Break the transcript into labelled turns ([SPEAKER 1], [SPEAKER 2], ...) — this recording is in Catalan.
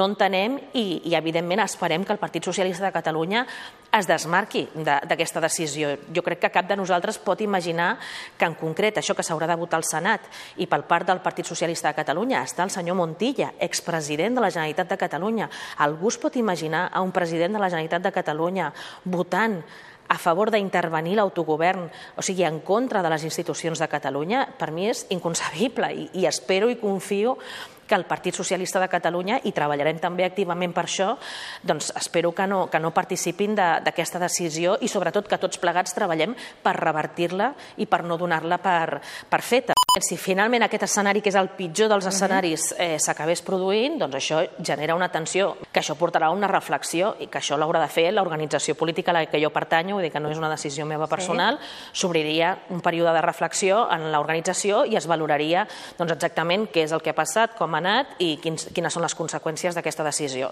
[SPEAKER 1] no entenem i evidentment esperem que el Partit Socialista de Catalunya es desmarqui d'aquesta decisió. Jo crec que cap de nosaltres pot imaginar que en concret això que s'haurà de votar al Senat i per part del Partit Socialista de Catalunya està el senyor Montilla, expresident de la Generalitat de Catalunya. Algú es pot imaginar a un president de la Generalitat de Catalunya votant a favor d'intervenir l'autogovern, o sigui, en contra de les institucions de Catalunya? Per mi és inconcebible i espero i confio que el Partit Socialista de Catalunya, i treballarem també activament per això, doncs espero que no participin d'aquesta decisió i sobretot que tots plegats treballem per revertir-la i per no donar-la per feta. Si finalment aquest escenari, que és el pitjor dels escenaris, s'acabés produint, doncs això genera una tensió, que això portarà a una reflexió i que això l'haurà de fer l'organització política a la que jo pertanyo, vull dir que no és una decisió meva personal, s'obriria un període de reflexió en l'organització i es valoraria exactament què és el que ha passat, com ha anat i quines són les conseqüències d'aquesta decisió.